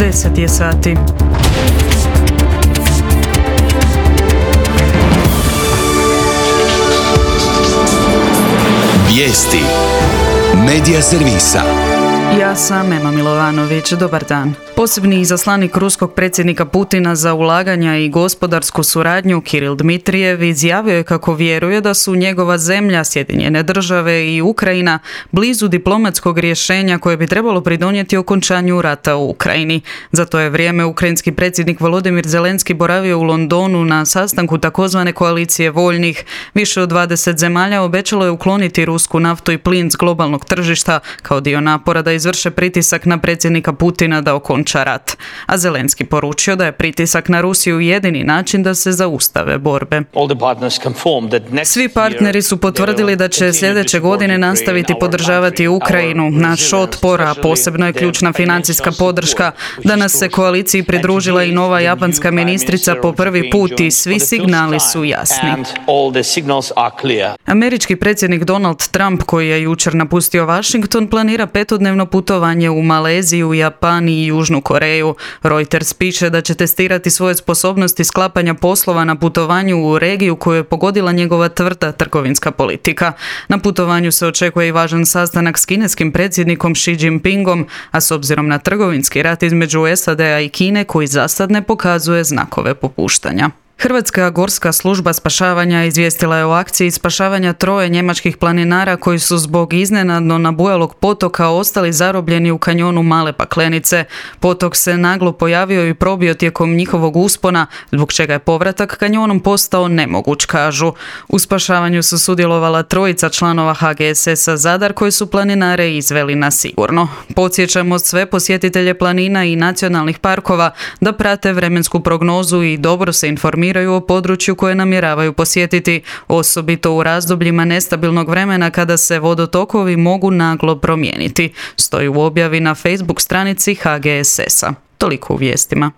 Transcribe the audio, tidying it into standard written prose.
10 je sati. Vijesti Medija servisa. Ja sam Ema Milovanović, dobar dan. Posebni izaslanik ruskog predsjednika Putina za ulaganja i gospodarsku suradnju Kiril Dmitrijev izjavio je kako vjeruje da su njegova zemlja, Sjedinjene države i Ukrajina blizu diplomatskog rješenja koje bi trebalo pridonijeti okončanju rata u Ukrajini. Za to je vrijeme ukrajinski predsjednik Volodymyr Zelenski boravio u Londonu na sastanku takozvane koalicije voljnih. Više od 20 zemalja obećalo je ukloniti rusku naftu i plin s globalnog tržišta kao dio napora da izvrše pritisak na predsjednika Putina da okonča rat. A Zelenski poručio da je pritisak na Rusiju jedini način da se zaustave borbe. Svi partneri su potvrdili da će sljedeće godine nastaviti podržavati Ukrajinu. Naš otpor, a posebno je ključna financijska podrška. Danas se koaliciji pridružila i nova japanska ministrica po prvi put i svi signali su jasni. Američki predsjednik Donald Trump, koji je jučer napustio Washington, planira 5-dnevno putovanje u Maleziju, Japan i Južnu Koreju. Reuters piše da će testirati svoje sposobnosti sklapanja poslova na putovanju u regiju koju je pogodila njegova tvrda trgovinska politika. Na putovanju se očekuje i važan sastanak s kineskim predsjednikom Xi Jinpingom, a s obzirom na trgovinski rat između SAD-a i Kine koji zasad ne pokazuje znakove popuštanja. Hrvatska gorska služba spašavanja izvijestila je o akciji spašavanja 3 njemačkih planinara koji su zbog iznenadno nabujalog potoka ostali zarobljeni u kanjonu Male Paklenice. Potok se naglo pojavio i probio tijekom njihovog uspona, zbog čega je povratak kanjonom postao nemoguć, kažu. U spašavanju su sudjelovala 3 članova HGSS-a Zadar koji su planinare izveli na sigurno. Podsjećamo sve posjetitelje planina i nacionalnih parkova da prate vremensku prognozu i dobro se informiraju o području koje namjeravaju posjetiti, osobito u razdobljima nestabilnog vremena kada se vodotokovi mogu naglo promijeniti. Stoji u objavi na Facebook stranici HGSS-a. Toliko u vijestima.